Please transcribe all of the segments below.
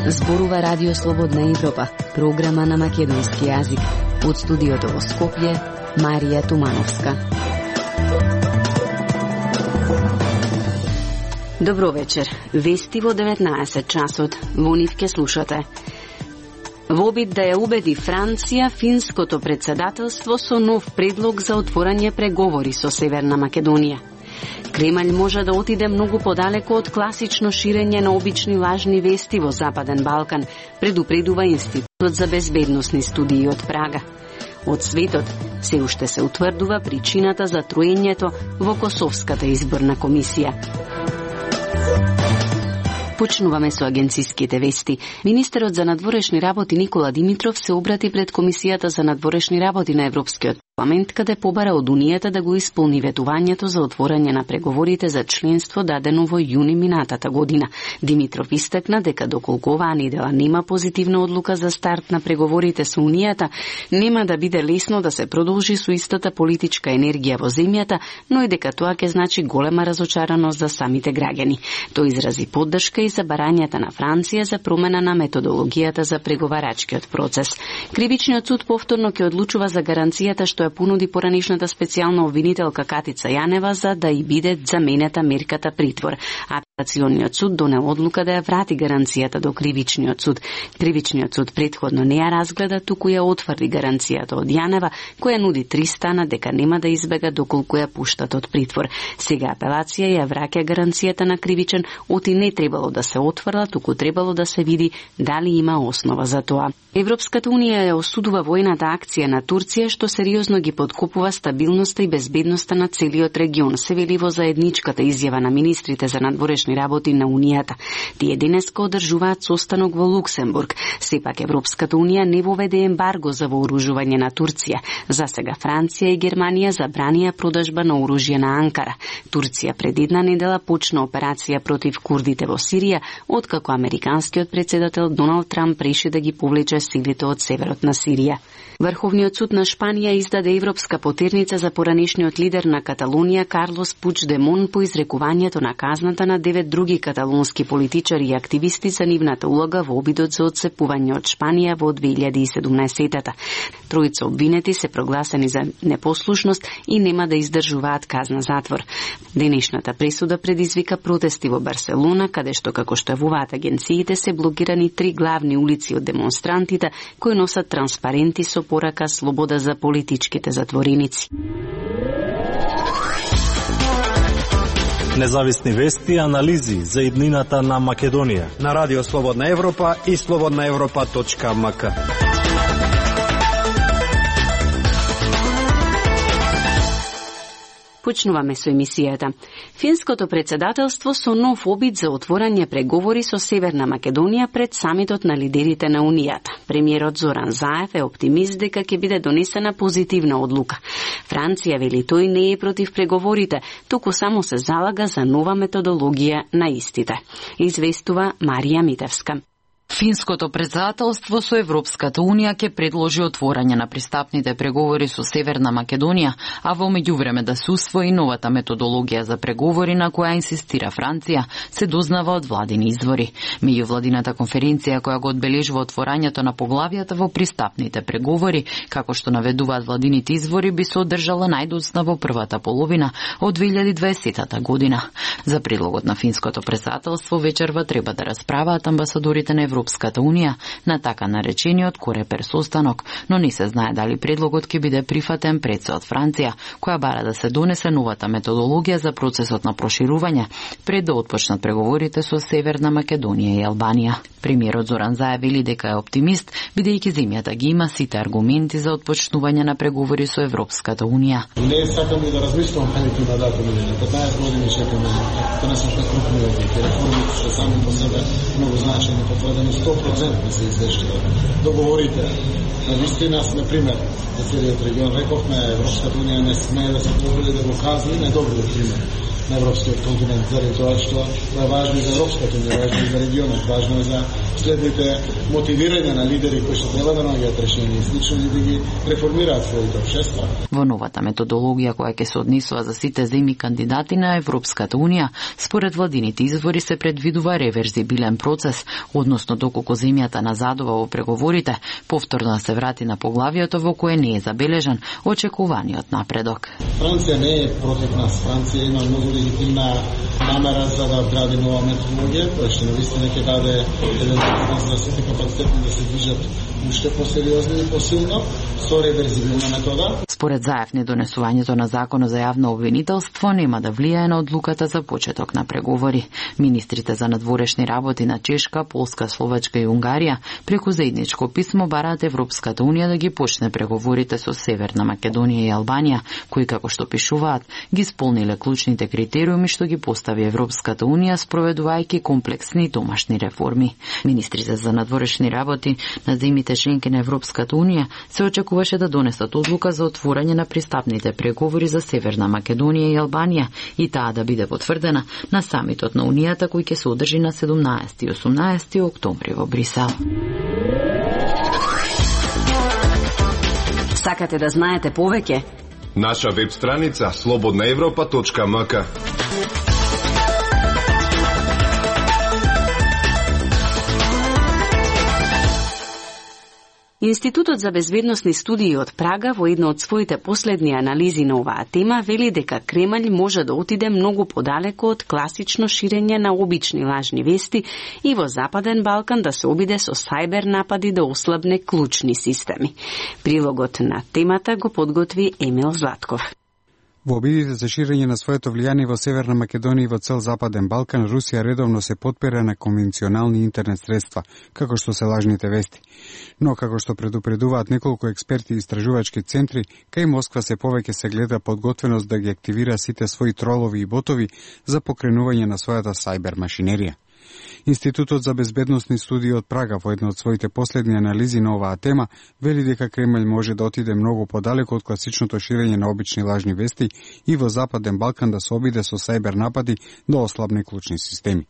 Зборува Радио Слободна Европа, програма на македонски јазик. Од студиото во Скопје, Марија Тумановска. Добро вечер. Вести во 19 часот. Во нив ке слушате. Во обид да ја убеди Франција, финското председателство со нов предлог за отворање преговори со Северна Македонија. Кремљ може да отиде многу подалеку од класично ширење на обични лажни вести во Западен Балкан, предупредува Институтот за безбедносни студии од Прага. Од светот се уште се утврдува причината за троењето во Косовската изборна комисија. Почнуваме со агенциските вести. Министерот за надворешни работи Никола Димитров се обрати пред Комисијата за надворешни работи на Европскиот парламент, каде побара од Унијата да го исполни ветувањето за отворање на преговорите за членство дадено во јуни минатата година. Димитров истакна дека доколку оваа недела нема позитивна одлука за старт на преговорите со Унијата, нема да биде лесно да се продолжи со истата политичка енергија во земјата, но и дека тоа ќе значи голема разочараност за самите граѓани. Тој изрази поддршка и за барањата на Франција за промена на методологијата за преговарачкиот процес. Кривичниот суд повторно ќе одлучува за гаранцијата што ја понуди поранишната специјална обвинителка Катица Јанева за да и биде заменета мерката притвор. Апелациониот суд донел одлука да ја врати гаранцијата до Кривичниот суд. Кривичниот суд претходно не ја разгледа, туку ја отврди гаранцијата од Јанева, која нуди 3 стана дека нема да избега доколку ја пуштат од притвор. Сега апелација ја враќа гаранцијата на Кривичен, оти не требало да се отврла, туку требало да се види дали има основа за тоа. Европската унија ја осудува војната акција на Турција, што сериозно ги подкопува стабилноста и безбедноста на целиот регион, се вели во заедничката изјава на министрите за надворешни работи на Унијата. Тие денеска одржуваат состанок во Луксембург. Сепак Европската унија не воведе ембарго за вооружување на Турција. За сега Франција и Германија забранија продажба на оружје на Анкара. Турција пред една недела почна операција против курдите во Сирија, откако американскиот председател Доналд Трамп реши да ги повлече силите од северот на Сирија. Врховниот суд на Шпанија издаде европска потерница за поранешниот лидер на Каталонија Карлос Пучдемон по изрекувањето на казната на 9 други каталонски политичари и активисти за нивната улога во обидот за отцепување од Шпанија во 2017-та. Тројца обвинети се прогласени за непослушност и нема да издржуваат казна затвор. Денешната пресуда предизвика протести во Барселона, каде што, како што јавуваат агенциите, се блокирани 3 главни улици од демонстрантите кои носат транспаренти со порака слобода за политичките затвореници. Независни вести и анализи за иднината на Македонија на Радио Слободна Европа и slobodnaevropa.mk. Почнуваме со емисијата. Финското председателство со нов обид за отворање преговори со Северна Македонија пред самитот на лидерите на Унијата. Премиерот Зоран Заев е оптимист дека ќе биде донесена позитивна одлука. Франција вели тој не е против преговорите, туку само се залага за нова методологија на истите. Известува Марија Митевска. Финското председателство со Европската унија ќе предложи отворање на пристапните преговори со Северна Македонија, а во меѓувреме да се усвои новата методологија за преговори на која инсистира Франција, се дознава од владини извори. Меѓувладината конференција која го одбележува отворањето на поглавијата во пристапните преговори, како што наведуваат владините извори, би се одржала најдоцна во првата половина од 2020 година. За предлогот на финското председателство вечерва треба да расправаат амбасадорите на Европската унија на така наречениот Корепер состанок, но не се знае дали предлогот ќе биде прифатен пред се од Франција, која бара да се донесе новата методологија за процесот на проширување пред да отпочнат преговорите со Северна Македонија и Албанија. Премиерот Зоран Заев вели дека е оптимист, бидејќи земјата ги има сите аргументи за отпочнување на преговори со Европската унија. Не сакам и да размислувам каде на датум или 15 години чекаме, тоа не се што крупни реформи што само по себе многу значени потврдени 100% се извештува. Договорите на вистина, например, за целиот регион рековме, Европската унија не смее да се позволи да го казва, не добри пример на европскиот континент, заради тоа што е важно и за Европската унија, важно и за регионот, важно и за следните мотивирање на лидери кои што треба да наоѓаат решение и слично и да ги реформираат своите општества. Во новата методологија која ќе се однесува за сите земји кандидати на Европската унија, според владините извори се предвидува реверзибилен процес, односно доколку земјата назадува во преговорите, повторно да се врати на поглавието во кое не е забележан очекуваниот напредок. Франција не е против нас. Франција има многу легитимна намера за да вгради нова методологија, која што навистина ќе даде еден доprinos за сите капацитети да се движат уште посериозно и посилно со реверзибилна метода. Според Заев, недонесувањето на законот за јавно обвинителство нема да влијае на одлуката за почеток на преговори. Министрите за надворешни работи на Чешка, Полска, Словачка и Унгарија преку заедничко писмо бараат Европската унија да ги почне преговорите со Северна Македонија и Албанија, кои, како што пишуваат, ги исполниле клучните критериуми што ги постави Европската унија спроведувајќи комплексни домашни реформи. Министрите за надворешни работи на земјите членки на Европската унија се очекуваше да донесат одлука за отворање на пристапните преговори за Северна Македонија и Албанија и таа да биде потврдена на самитот на Унијата кој ќе се одржи на 17 и 18 октомври во Брисел. Сакате да знаете повеќе? Наша веб страница slobodnaevropa.mk. Институтот за безбедносни студии од Прага во една од своите последни анализи на оваа тема вели дека Кремљ може да отиде многу подалеку од класично ширење на обични лажни вести и во Западен Балкан да се обиде со сајбер напади да ослабне клучни системи. Прилогот на темата го подготви Емил Златков. Во обидите за ширење на своето влијание во Северна Македонија и во цел Западен Балкан, Русија редовно се потпира на конвенционални интернет средства, како што се лажните вести. Но, како што предупредуваат неколку експерти и истражувачки центри, кај Москва се повеќе се гледа подготвеност да ги активира сите своји тролови и ботови за покренување на својата сајбер машинерија. Институтот за безбедносни студии од Прага во една од своите последни анализи на оваа тема вели дека Кремљ може да отиде многу подалеку од класичното ширење на обични лажни вести и во Западен Балкан да се обиде со сајбер напади да ослабне клучни системи.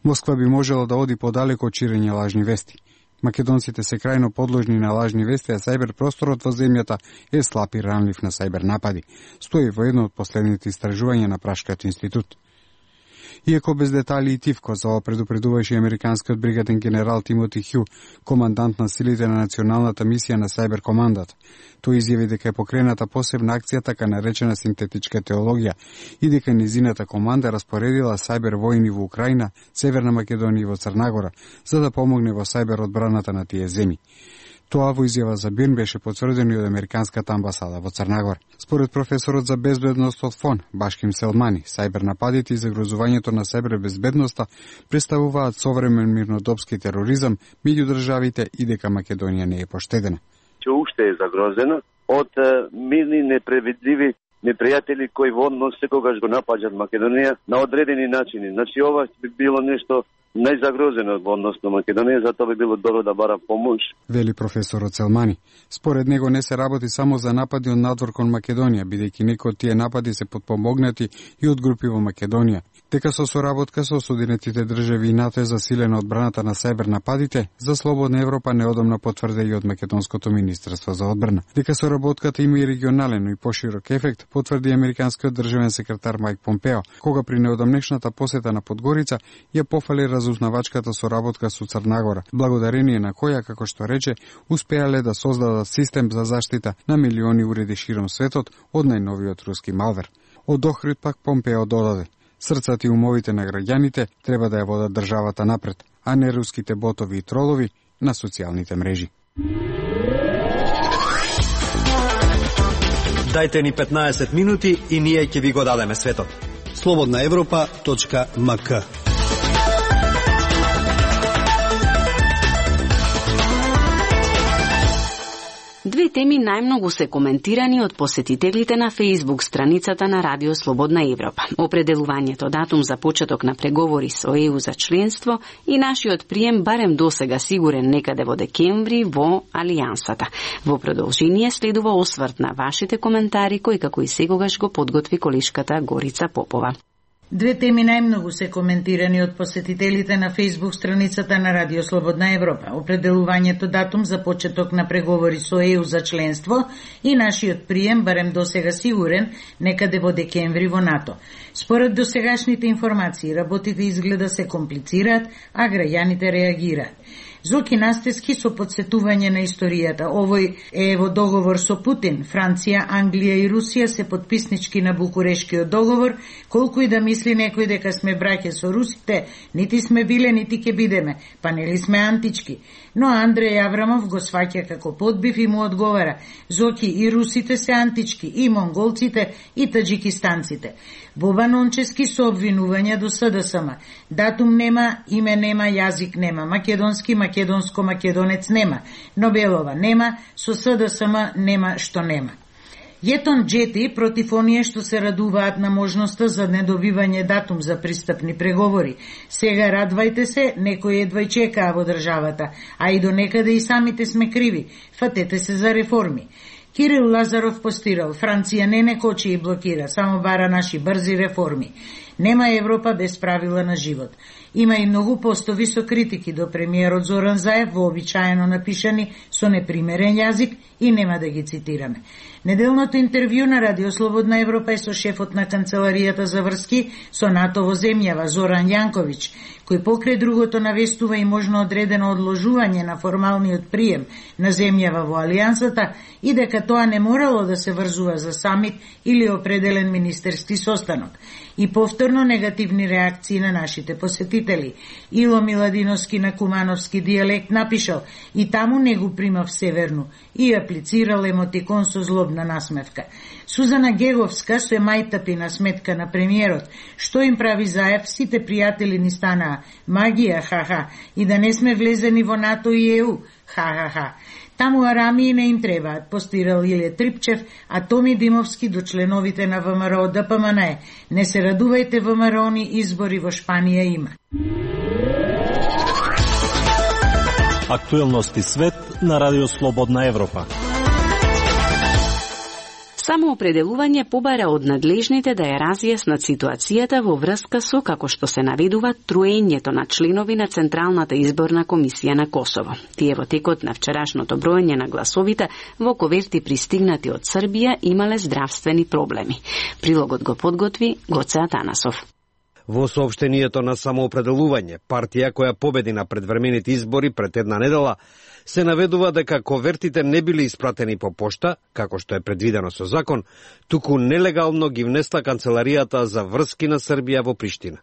Москва би можела да оди подалеку од ширење лажни вести. Македонците се крајно подложни на лажни вести, а сајбер просторот во земјата е слаб и ранлив на сајбер напади, стои во едно од последните истражувања на Пражкиот институт. Иако без детали и тивко, за ова предупредуваше американскиот бригаден генерал Тимоти Хју, командант на силите на националната мисија на Сајбер командата. Тој изјави дека е покрената посебна акција, така наречена синтетичка теологија, и дека низината команда распоредила сајбер војни во Украина, Северна Македонија и во Црнагора, за да помогне во сајбер одбраната на тие земји. Тоа во изјава за БИРН беше потврдено и од Американската амбасада во Црнагора. Според професорот за безбедност од ФОН, Башким Селмани, сајбер нападите и загрозувањето на сајбер безбедноста представуваат современ мирнодопски тероризам меѓу државите и дека Македонија не е поштедена. Че уште е загрозена од мирни непредвидливи непријатели кои водно секогаш го напаѓаат Македонија на одредени начини. Значи ова би било нешто најзагрозено во однос на Македонија, затоа би било добро да бара помош. Вели професорот Селмани. Според него не се работи само за напади од надвор кон Македонија, бидејќи некои од тие напади се потпомогнати и од групи во Македонија. Дека со соработка со Соединетите држави и НАТО е засилена одбраната на сајбер нападите, за Слободна Европа неодамна потврде и од Македонското министерство за одбрана. Дека соработката има и регионален и поширок ефект, потврди американскиот државен секретар Мајк Помпео, кога при неодамнешната посета на Подгорица ја пофали разузнавачката соработка со Црнагора, благодарение на која, како што рече, успеале да создадат систем за заштита на милиони уреди широм светот од најновиот руски малвер. Од Охрид пак Помпео додаде: срцата и умовите на граѓаните треба да ја водат државата напред, а не руските ботови и тролови на социјалните мрежи. Дајте ни 15 минути и ние ќе ви го дадеме светот. slobodnaevropa.mk. Две теми најмногу се коментирани од посетителите на Facebook страницата на Радио Слободна Европа. Определувањето датум за почеток на преговори со ЕУ за членство и нашиот прием барем досега сигурен некаде во декември во Алијансата. Во продолжение следува осврт на вашите коментари кои како и секогаш го подготви колешката Горица Попова. Две теми најмногу се коментирани од посетителите на Facebook страницата на Радио Слободна Европа. Определувањето датум за почеток на преговори со ЕУ за членство и нашиот прием, барем досега сигурен, некаде во декември во НАТО. Според досегашните информации, работите изгледа се комплицираат, а граѓаните реагираат. Зоки Настески со подсетување на историјата. Овој е во договор со Путин. Франција, Англија и Русија се подписнички на Букурешкиот договор. Колку и да мисли некој дека сме браќа со русите, нити сме биле, нити ке бидеме, па нели сме антички. Но Андреј Аврамов го сваќа како подбив и му одговара: Зоки, и русите се антички, и монголците, и таджикистанците. Боба Нончески со обвинувања до СДСМ. Датум нема, име нема, јазик нема, македонски, македонско-македонец нема, Нобелова нема, со СДСМ нема што нема. Јетон Джети против оние што се радуваат на можноста за недобивање датум за пристапни преговори. Сега радвајте се, некој едва чекаа во државата, а и до некаде и самите сме криви. Фатете се за реформи. Кирил Лазаров постирал: Франција не кочи и блокира, само бара наши брзи реформи. Нема Европа без правила на живот. Има и многу постови со критики до премиерот Зоран Заев, вообичаено напишани со непримерен јазик, и нема да ги цитираме. Неделното интервју на Радио Слободна Европа е со шефот на Канцеларијата за врски со НАТО во земјава Зоран Јанковиќ, кој покрај другото навестува и можно одредено одложување на формалниот прием на земјава во Алијансата и дека тоа не морало да се врзува за самит или определен министерски состанок. И повторно негативни реакции на нашите посетители. Ило Миладиновски на кумановски дијалект напишал: и таму не го примав северну, и аплицирал емотикон со злобна насмевка. Сузана Геговска со мајтапи на сметка на премиерот: што им прави Заев, сите пријатели ни станаа магија, ха-ха, и да не сме влезени во НАТО и ЕУ, ха-ха-ха. Таму арамии не им требаат, постирал Иле Трипчев, а Томи Димовски до членовите на ВМРО ДПМН. Не се радувајте, ВМРО-ни избори во Шпанија има. Актуелности свет на Радио Слободна Европа. Самоопределување побара од надлежните да ја разјаснат ситуацијата во врска со, како што се наведува, троењето на членови на Централната изборна комисија на Косово. Тие во текот на вчерашното броење на гласовите во коверти пристигнати од Србија имале здравствени проблеми. Прилогот го подготви Гоце Атанасов. Во соопштението на самоопределување, партија која победи на предвремените избори пред една недела, се наведува дека ковертите не били испратени по пошта, како што е предвидено со закон, туку нелегално ги внесла Канцеларијата за врски на Србија во Приштина.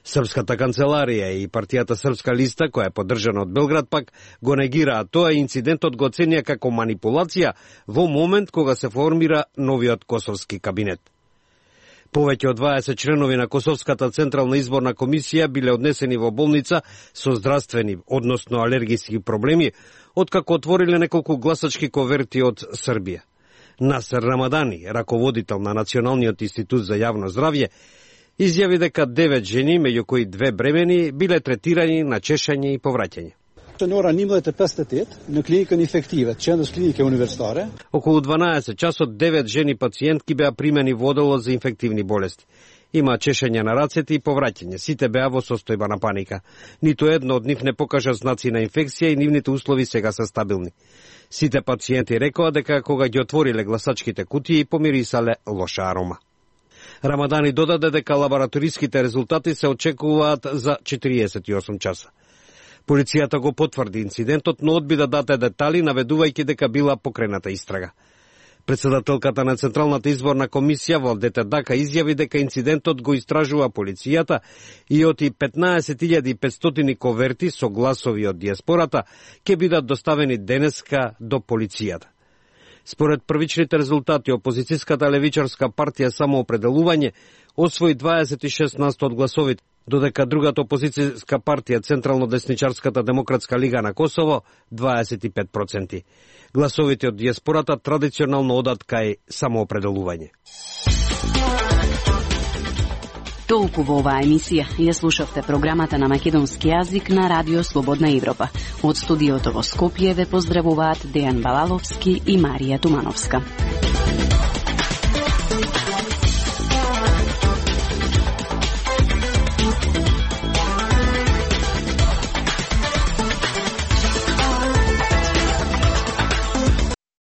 Српската канцеларија и партијата Српска листа, која е поддржана од Белград, пак го негираа тоа и инцидентот го оценија како манипулација во момент кога се формира новиот косовски кабинет. Повеќе од 20 членови на Косовската централна изборна комисија биле однесени во болница со здравствени, односно алергиски проблеми, откако отвориле неколку гласачки коверти од Србија. Насер Рамадани, раководител на Националниот институт за јавно здравје, изјави дека 9 жени, меѓу кои 2 бремени, биле третирани на чешање и повраќање. Ora 1958 në klinikën infektive, qendrës klinike universitare. Околу 12 часот 9 жени пациентки беа примени во оделот за инфективни болести. Има чешање на рацете и повраќање. Сите беа во состојба на паника. Ниту едно од нив не покажа знаци на инфекција и нивните услови сега се стабилни. Сите пациенти рекоа дека кога ги отвориле гласачките кутии помирисале лоша арома. Рамадани додаде дека лабораториските резултати се очекуваат за 48 часа. Полицијата го потврди инцидентот, но одби да даде детали, наведувајќи дека била покрената истрага. Председателката на Централната изборна комисија Валдета Дака изјави дека инцидентот го истражува полицијата и оти 15.500 коверти со гласови од диаспората ќе бидат доставени денеска до полицијата. Според првичните резултати, опозицијската левичарска партија Самоопределување освои 26% од гласовите, додека другата опозицијска партија Централно-десничарската демократска лига на Косово 25%. Гласовите од диаспората традиционално одат кај Самоопределување. Толку во оваа емисија. Ја слушавте програмата на македонски јазик на Радио Слободна Европа. Од студиото во Скопје ве поздравуваат Дејан Балаловски и Марија Тумановска.